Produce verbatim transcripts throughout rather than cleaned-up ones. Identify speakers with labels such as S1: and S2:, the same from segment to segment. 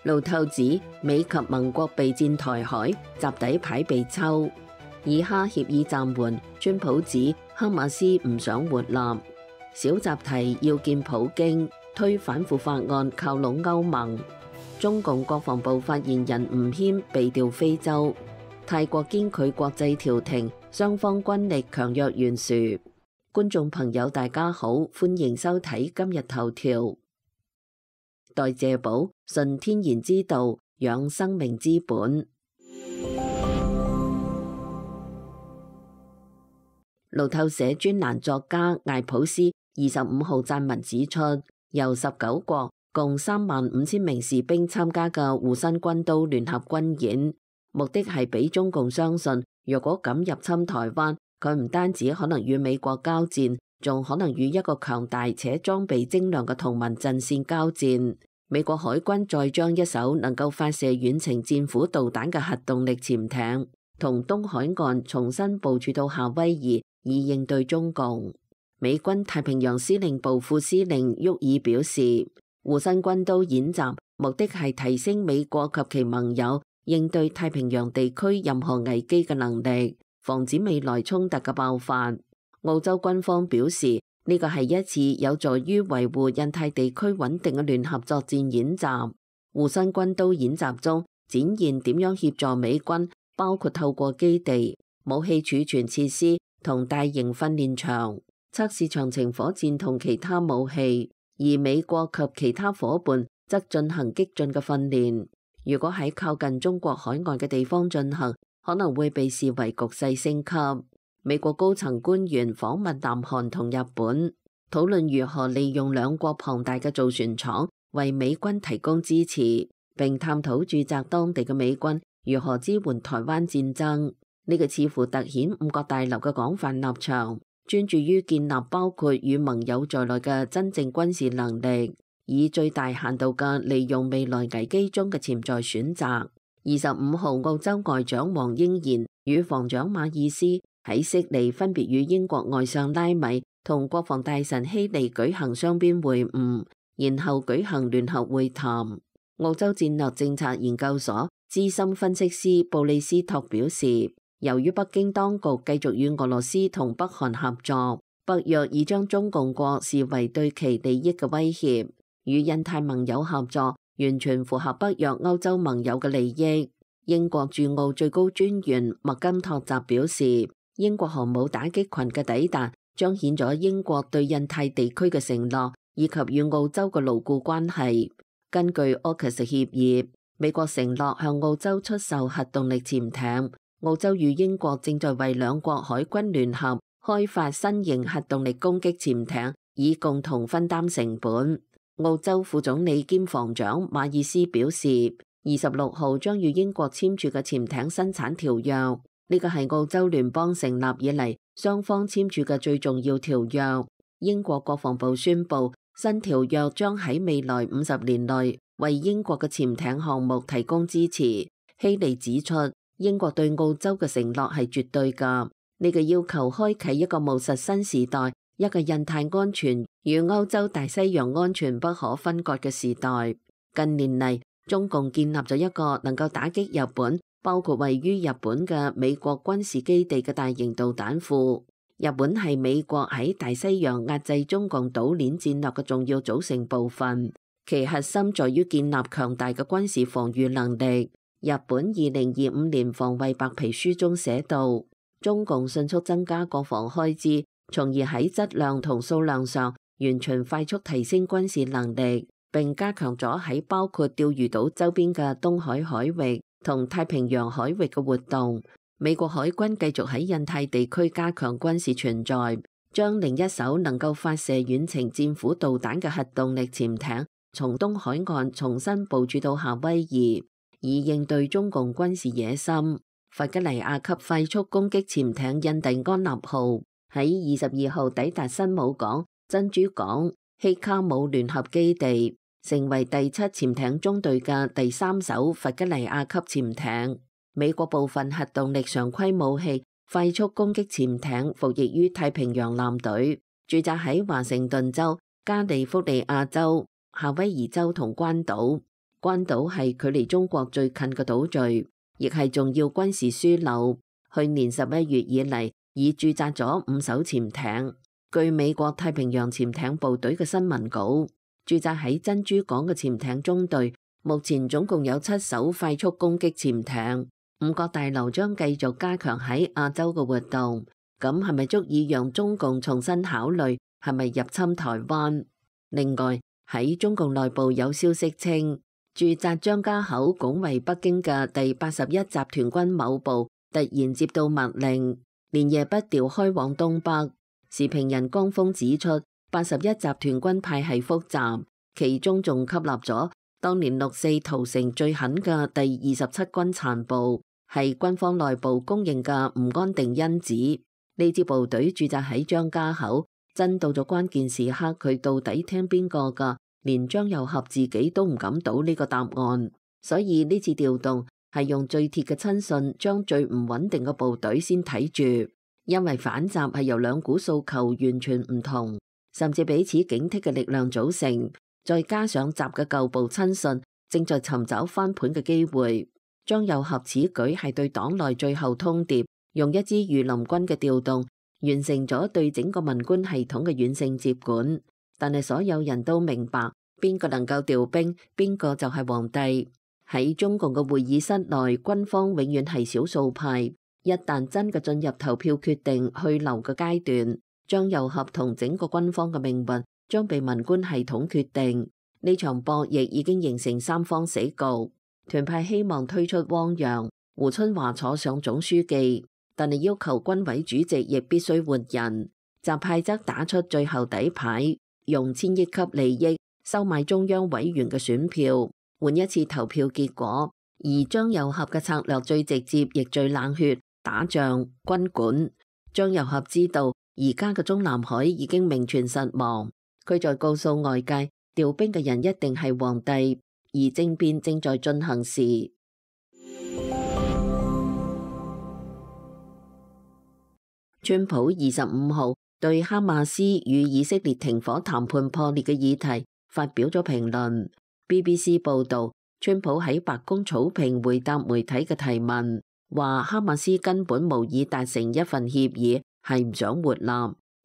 S1: 路透指美及盟國備戰台海，習底牌被抽。以哈協議暫緩，川普指哈馬斯唔想活立。小習提要見普京，推反腐法案靠攏歐盟。中共國防部發言人吳謙被調非洲。泰國堅拒國際調停，雙方軍力強弱懸殊。觀眾朋友大家好，歡迎收睇今日頭條。代謝寶，純天然之道，養生命之本。路透社專欄作家艾普斯二十五號撰文指出，由十九國共三萬五千名士兵參加嘅護身軍刀聯合軍演，目的係俾中共相信，若果敢入侵台灣，佢唔單止可能與美國交戰，仲可能與一個強大且裝備精良嘅同盟陣線交戰。美國海軍再將一艘能夠發射遠程戰斧導彈嘅核動力潛艇，同東海岸重新部署到夏威夷，以應對中共。美軍太平洋司令部副司令沃爾表示，護身軍刀演習目的係提升美國及其盟友應對太平洋地區任何危機嘅能力，防止未來衝突嘅爆發。澳洲軍方表示，呢個係一次有助於維護印太地區穩定嘅聯合作戰演習。護身軍刀演習中展現點樣協助美軍，包括透過基地、武器儲存設施同大型訓練場測試長程火箭同其他武器，而美國及其他夥伴則進行激進嘅訓練。如果喺靠近中國海岸嘅地方進行，可能會被視為局勢升級。美國高層官員訪問南韓同日本，討論如何利用兩國龐大嘅造船廠為美軍提供支持，並探討駐紮當地嘅美軍如何支援台灣戰爭。呢個似乎凸顯五角大樓嘅廣泛立場，專注於建立包括與盟友在內嘅真正軍事能力，以最大限度嘅利用未來危機中嘅潛在選擇。二十五號，澳洲外長黃英賢與防長馬爾斯喺悉尼分別與英國外相拉米同國防大臣希利舉行雙邊會晤，然後舉行聯合會談。澳洲戰略政策研究所資深分析師布利斯托表示，由於北京當局繼續與俄羅斯同北韓合作，北約已將中共國視為對其利益嘅威脅，與印太盟友合作完全符合北約歐洲盟友嘅利益。英國駐澳最高專員麥金托澤表示，英國航母打擊群嘅抵達彰顯咗英國對印太地區嘅承諾，以及與澳洲嘅牢固關係。根據 O C U S 協議，美國承諾向澳洲出售核動力潛艇，澳洲與英國正在為兩國海軍聯合開發新型核動力攻擊潛艇，以共同分擔成本。澳洲副總理兼防長馬爾斯表示，二十六號將與英國簽署嘅潛艇生產條約，呢個係澳洲聯邦成立以嚟雙方簽署嘅最重要條約。英國國防部宣布，新條約將喺未來五十年內為英國嘅潛艇項目提供支持。希利指出，英國對澳洲嘅承諾係絕對㗎，呢個要求開啟一個務實新時代，一個印太安全與歐洲大西洋安全不可分割嘅時代。近年嚟，中共建立咗一個能夠打擊日本，包括位於日本嘅美國軍事基地嘅大型導彈庫。日本係美國喺大西洋壓制中共島鏈戰略嘅重要組成部分，其核心在於建立強大嘅軍事防禦能力。日本二零二五年防衛白皮書中寫道，中共迅速增加國防開支，從而喺質量同數量上完全快速提升軍事能力，並加強咗喺包括釣魚島周邊嘅東海海域同太平洋海域嘅活動。美國海軍繼續喺印太地區加強軍事存在，將另一艘能夠發射遠程戰斧導彈嘅核動力潛艇從東海岸重新部署到夏威夷，以應對中共軍事野心。弗吉尼亞級快速攻擊潛艇印第安納號喺二十二號抵達新姆港、珍珠港、希卡姆聯合基地，成為第七潛艇中隊嘅第三艘弗吉尼亞級潛艇。美國部分核動力常規武器快速攻擊潛艇服役於太平洋艦隊，駐紮喺華盛頓州、加利福尼亞州、夏威夷州同關島。關島係距離中國最近嘅島嶼，亦係重要軍事樞紐。去年十一月以嚟，已駐紮咗五艘潛艇。據美國太平洋潛艇部隊嘅新聞稿，駐紮喺珍珠港嘅潛艇中隊，目前總共有七艘快速攻擊潛艇。五角大樓將繼續加強喺亞洲嘅活動，咁係咪足以讓中共重新考慮係咪入侵台灣？另外喺中共內部有消息稱，駐紮張家口拱衛北京嘅第八十一集團軍某部突然接到密令，連夜不調開往東北。時評人江峰指出，八十一集團軍派系複雜，其中仲吸納咗當年六四屠城最狠嘅第二十七軍殘部，係軍方內部公認嘅唔安定因子。呢支部隊駐紮喺張家口，真到咗關鍵時刻，佢到底聽邊個㗎？連張又俠自己都唔敢賭呢個答案。所以呢次調動係用最鐵嘅親信將最唔穩定嘅部隊先睇住。因為反習係由兩股訴求完全唔同，甚至彼此警惕嘅力量組成，再加上習嘅舊部親信正在尋找翻盤嘅機會，張又俠此舉係對黨內最後通牒，用一支御林軍嘅調動，完成咗對整個文官系統嘅軟性接管。但係所有人都明白，邊個能夠調兵，邊個就係皇帝。喺中共嘅會議室內，軍方永遠係少數派。一旦真嘅進入投票決定去留嘅階段，張又俠同整個軍方嘅命運將被文官系統決定。呢場博弈已經形成三方死局。團派希望推出汪洋、胡春華坐上總書記，但係要求軍委主席亦必須換人。習派則打出最後底牌，用千億級利益收買中央委員嘅選票，換一次投票結果。而張又俠嘅策略最直接，亦最冷血。打仗軍管，張又俠知道而家嘅中南海已經名存實亡，佢在告訴外界調兵嘅人一定係皇帝，而政變正在進行時。川普二十五號對哈馬斯與以色列停火談判破裂嘅議題發表咗評論。B B C 報道，川普喺白宮草坪回答媒體嘅提問，話哈馬斯根本無意達成一份協議，係唔想活立。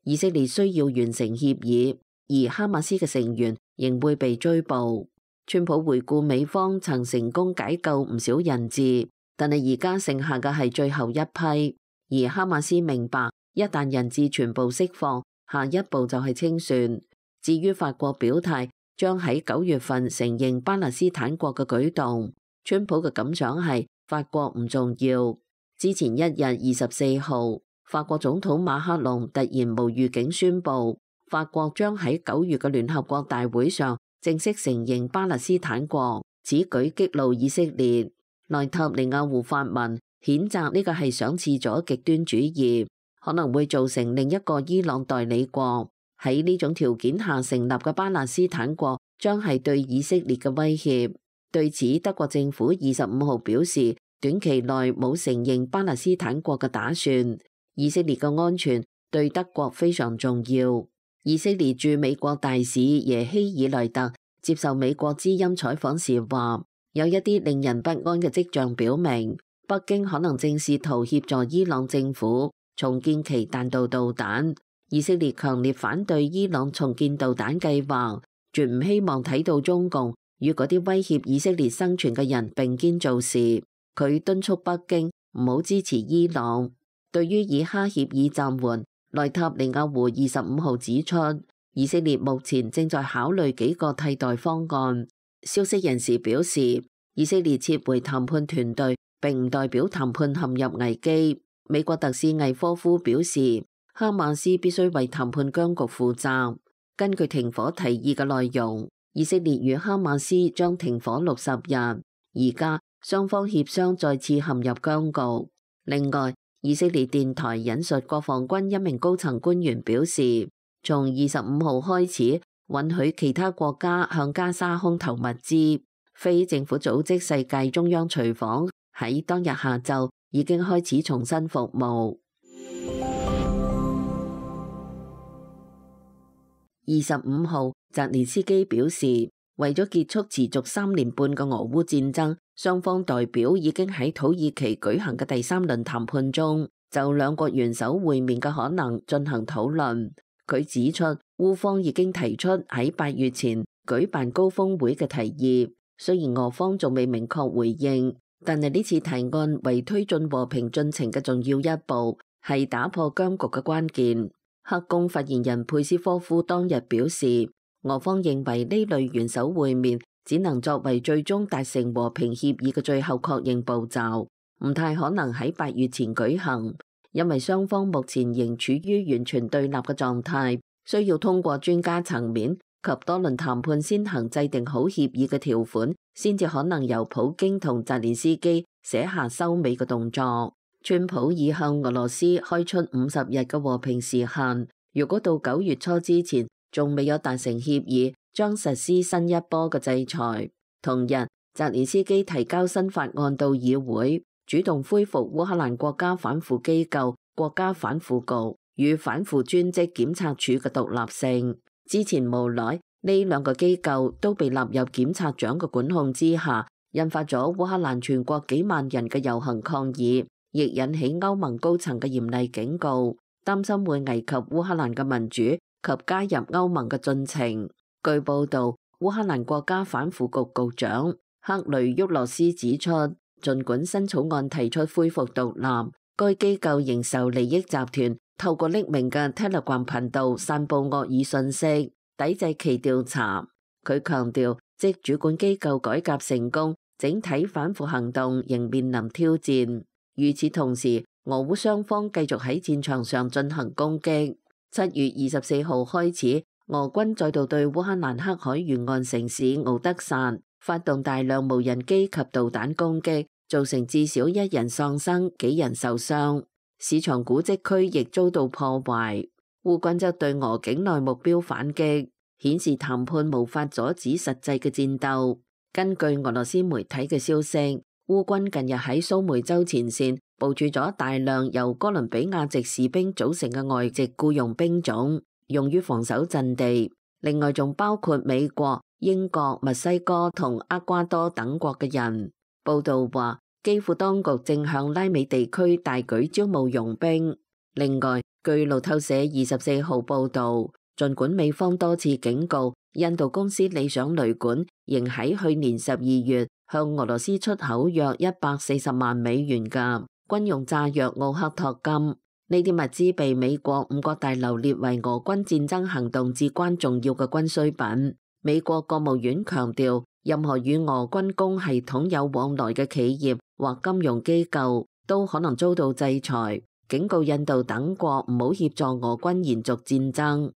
S1: 以色列需要完成協議，而哈馬斯嘅成員仍會被追捕。川普回顧美方曾成功解救唔少人質，但係而家剩下嘅係最後一批。而哈馬斯明白，一旦人質全部釋放，下一步就係清算。至於法國表態將喺九月份承認巴勒斯坦國嘅舉動，川普嘅感想係，法國唔重要。之前一日二十四號，法國總統馬克龍突然無預警宣布，法國將喺九月嘅聯合國大會上正式承認巴勒斯坦國。此舉激怒以色列，內塔尼亞胡發文譴責呢個係賞賜咗極端主義，可能會造成另一個伊朗代理國。喺呢種條件下成立嘅巴勒斯坦國將係對以色列嘅威脅。對此，德國政府二十五號表示，短期內冇承認巴勒斯坦國嘅打算。以色列嘅安全對德國非常重要。以色列駐美國大使耶希爾萊特接受美國之音採訪時話，有一啲令人不安嘅跡象表明，北京可能正試圖協助伊朗政府重建其彈道導彈。以色列強烈反對伊朗重建導彈計劃，絕唔希望睇到中共與嗰啲威脅以色列生存嘅人並肩做事。佢敦促北京唔好支持伊朗。對於以哈協議暫緩，內塔尼亞胡二十五號指出，以色列目前正在考慮幾個替代方案。消息人士表示，以色列撤回談判團隊並唔代表談判陷入危機。美國特使魏科夫表示，哈馬斯必須為談判僵局負責。根據停火提議嘅內容，以色列與哈馬斯將停火六十日，而家雙方協商再次陷入僵局。另外，以色列電台引述國防軍一名高層官員表示，從二十五號開始允許其他國家向加沙空投物資。非政府組織世界中央廚房喺當日下晝已經開始重新服務。二十五號，澤連斯基表示，為咗結束持續三年半嘅俄烏戰爭，雙方代表已經喺土耳其舉行嘅第三輪談判中，就兩國元首會面嘅可能進行討論。佢指出，烏方已經提出喺八月前舉辦高峰會嘅提議，雖然俄方仲未明確回應，但係呢次提案為推進和平進程嘅重要一步，係打破僵局嘅關鍵。黑宮發言人佩斯科夫當日表示，俄方認為呢類元首會面只能作為最終達成和平協議嘅最後確認步驟，唔太可能喺八月前舉行，因為雙方目前仍處於完全對立嘅狀態，需要通過專家層面及多輪談判先行制定好協議嘅條款，先至可能由普京同澤連斯基寫下收尾嘅動作。川普已向俄羅斯開出五十日嘅和平時限，如果到九月初之前仲未有達成協議，將實施新一波嘅制裁。同日，澤連斯基提交新法案到議會，主動恢復烏克蘭國家反腐機構國家反腐局與反腐專職檢察署嘅獨立性。之前無奈呢兩個機構都被納入檢察長嘅管控之下，引發咗烏克蘭全國幾萬人嘅遊行抗議，亦引起歐盟高層嘅嚴厲警告，擔心會危及烏克蘭嘅民主及加入歐盟嘅進程。據報道，烏克蘭國家反腐局局長克雷沃洛斯指出，儘管新草案提出恢復獨立，該機構仍受利益集團透過匿名嘅 Telegram 頻道散佈惡意信息，抵制其調查。佢強調，即主管機構改革成功，整體反腐行動仍面臨挑戰。與此同時，俄烏雙方繼續喺戰場上進行攻擊。七月二十四號開始，俄軍再度對烏克蘭黑海沿岸城市敖德薩發動大量無人機及導彈攻擊，造成至少一人喪生，幾人受傷。市場古蹟區亦遭到破壞。烏軍則對俄境內目標反擊，顯示談判無法阻止實際嘅戰鬥。根據俄羅斯媒體嘅消息，烏軍近日喺蘇梅州前線部署咗大量由哥倫比亞籍士兵組成嘅外籍僱傭兵種，用於防守陣地。另外仲包括美國、英國、墨西哥同厄瓜多等國嘅人。報道話，基輔當局正向拉美地區大舉招募傭兵。另外，據路透社二十四號報道，儘管美方多次警告，印度公司理想旅館仍喺去年十二月向俄羅斯出口約一百四十萬美元嘅軍用炸藥奧克托金，呢啲物資被美國五角大樓列為俄軍戰爭行動至關重要嘅軍需品。美國國務院強調，任何與俄軍工系統有往來嘅企業或金融機構都可能遭到制裁，警告印度等國唔好協助俄軍延續戰爭。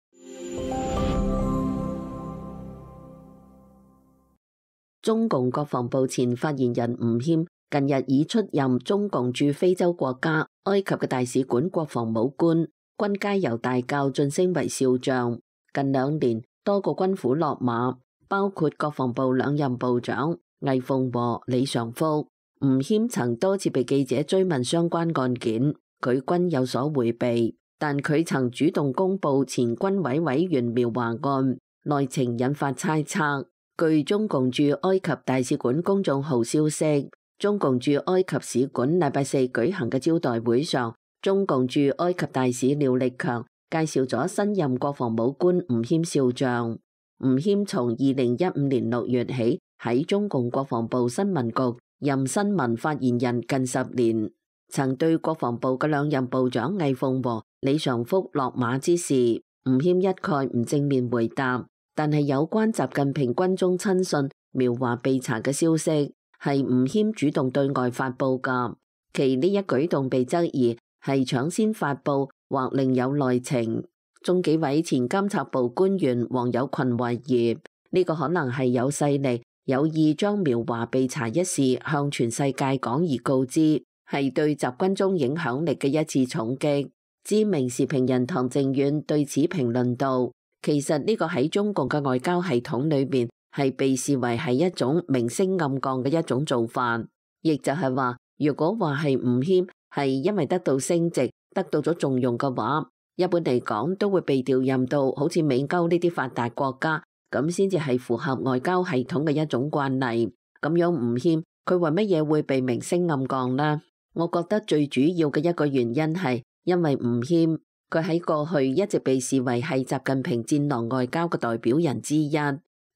S1: 中共國防部前發言人吳謙近日已出任中共駐非洲國家埃及嘅大使館國防武官，軍階由大校晉升為少將。近兩年，多個軍虎落馬，包括國防部兩任部長魏鳳和、李尚福。吳謙曾多次被記者追問相關案件，佢均有所迴避，但佢曾主動公布前軍委委員苗華案，內情引發猜測。據中共駐埃及大使館公眾號消息，中共駐埃及使館禮拜四舉行嘅招待會上，中共駐埃及大使廖力強介紹咗新任國防武官吳謙少將。吳謙從二零一五年六月起喺中共國防部新聞局任新聞發言人近十年，曾對國防部嘅兩任部長魏鳳和、李尚福落馬之事，吳謙一概唔正面回答。但係有關習近平軍中親信苗華被查嘅消息，係吳謙主動對外發佈噶，其呢一舉動被質疑係搶先發佈或另有內情。中紀委前監察部官員黃有群懷疑呢個可能係有勢力有意將苗華被查一事向全世界廣而告之，係對習軍中影響力嘅一次重擊。知名時評人唐靖遠對此評論道，其實呢個喺中共嘅外交系統裏面係被視為係一種明升暗降嘅一種做法，亦就係話，如果話係吳謙係因為得到升職、得到咗重用嘅話，一般嚟講都會被調任到好似美歐呢啲發達國家咁先至係符合外交系統嘅一種慣例。咁樣吳謙佢為乜嘢會被明升暗降呢？我覺得最主要嘅一個原因係因為吳謙佢喺過去一直被視為係習近平戰狼外交嘅代表人之一，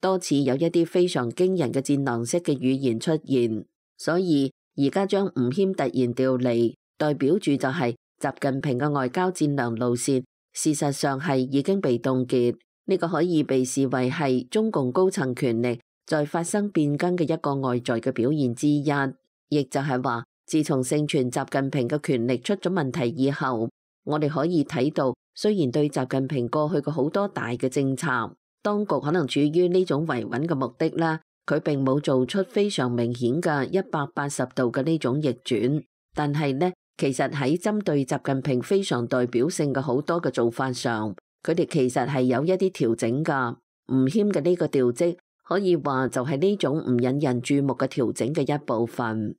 S1: 多次有一啲非常驚人嘅戰狼式嘅語言出現，所以而家將吳謙突然調離，代表住就係習近平嘅外交戰狼路線，事實上係已經被凍結。呢個可以被視為係中共高層權力在發生變更嘅一個外在嘅表現之一，亦就係話，自從盛傳習近平嘅權力出咗問題以後，我哋可以睇到，雖然對習近平過去嘅好多大嘅政策，當局可能處於呢種維穩嘅目的啦，佢並冇做出非常明顯嘅一百八十度嘅呢種逆轉，但係呢，其實喺針對習近平非常代表性嘅好多嘅做法上，佢哋其實係有一啲調整噶。吳謙嘅呢個調職可以話就係呢種唔引人注目嘅調整嘅一部分。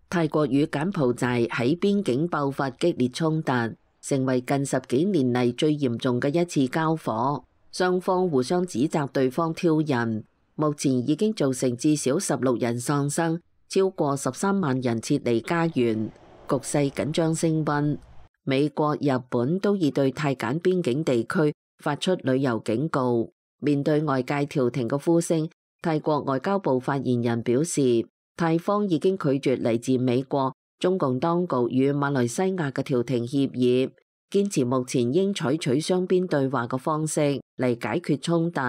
S1: 泰國與柬埔寨喺邊境爆發激烈衝突，成為近十幾年嚟最嚴重嘅一次交火，雙方互相指責對方挑釁，目前已經造成至少十六人喪生，超過十三萬人撤離家園，局勢緊張升溫。美國、日本都已對泰柬邊境地區發出旅遊警告。面對外界調停嘅呼聲，泰國外交部發言人表示，泰方已經拒絕嚟自美國、中共當局與馬來西亞嘅調停協議，堅持目前應採取雙邊對話嘅方式嚟解決衝突，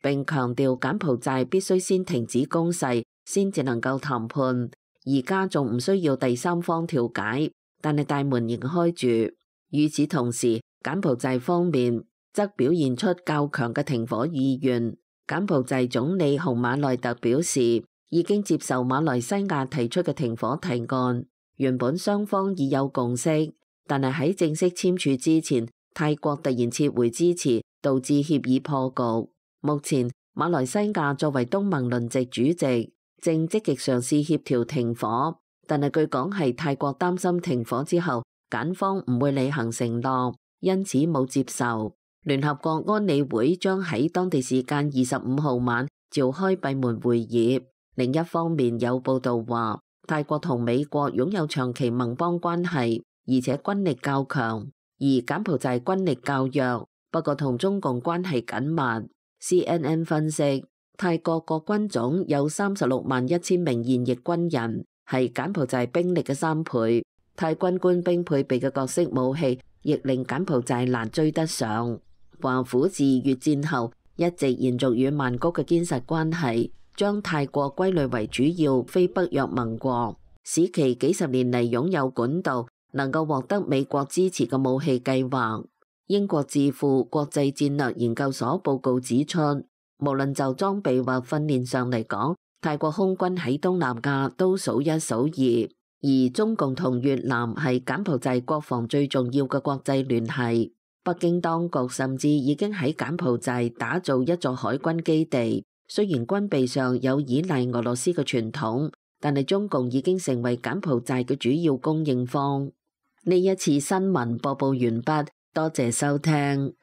S1: 並強調柬埔寨必須先停止攻勢，先至能夠談判。而家仲唔需要第三方調解，但係大門仍開住。與此同時，柬埔寨方面則表現出較強嘅停火意願。柬埔寨總理洪馬內特表示，已經接受馬來西亞提出嘅停火提案，原本雙方已有共識，但係喺正式簽署之前，泰國突然撤回支持，導致協議破局。目前馬來西亞作為東盟輪值主席，正積極嘗試協調停火，但係據講係泰國擔心停火之後，柬方唔會履行承諾，因此冇接受。聯合國安理會將喺當地時間二十五號晚召開閉門會議。另一方面有報道話，泰國同美國擁有長期盟邦關係，而且軍力較強，而柬埔寨軍力較弱，不過同中共關係緊密。C N N 分析，泰國國軍總有三十六萬一千名現役軍人，係柬埔寨兵力嘅三倍。泰軍官兵配備嘅各式武器，亦令柬埔寨難追得上。華府自越戰後一直延續與曼谷嘅堅實關係，將泰國歸類為主要非北約盟國，使其幾十年嚟擁有管道能夠獲得美國支持嘅武器計劃。英國智庫國際戰略研究所報告指出，無論就裝備或訓練上嚟講，泰國空軍喺東南亞都數一數二，而中共同越南係柬埔寨國防最重要嘅國際聯繫。北京當局甚至已經喺柬埔寨打造一座海軍基地。雖然軍備上有依賴俄羅斯嘅傳統，但係中共已經成為柬埔寨嘅主要供應方。呢一次新聞播報完畢，多謝收聽。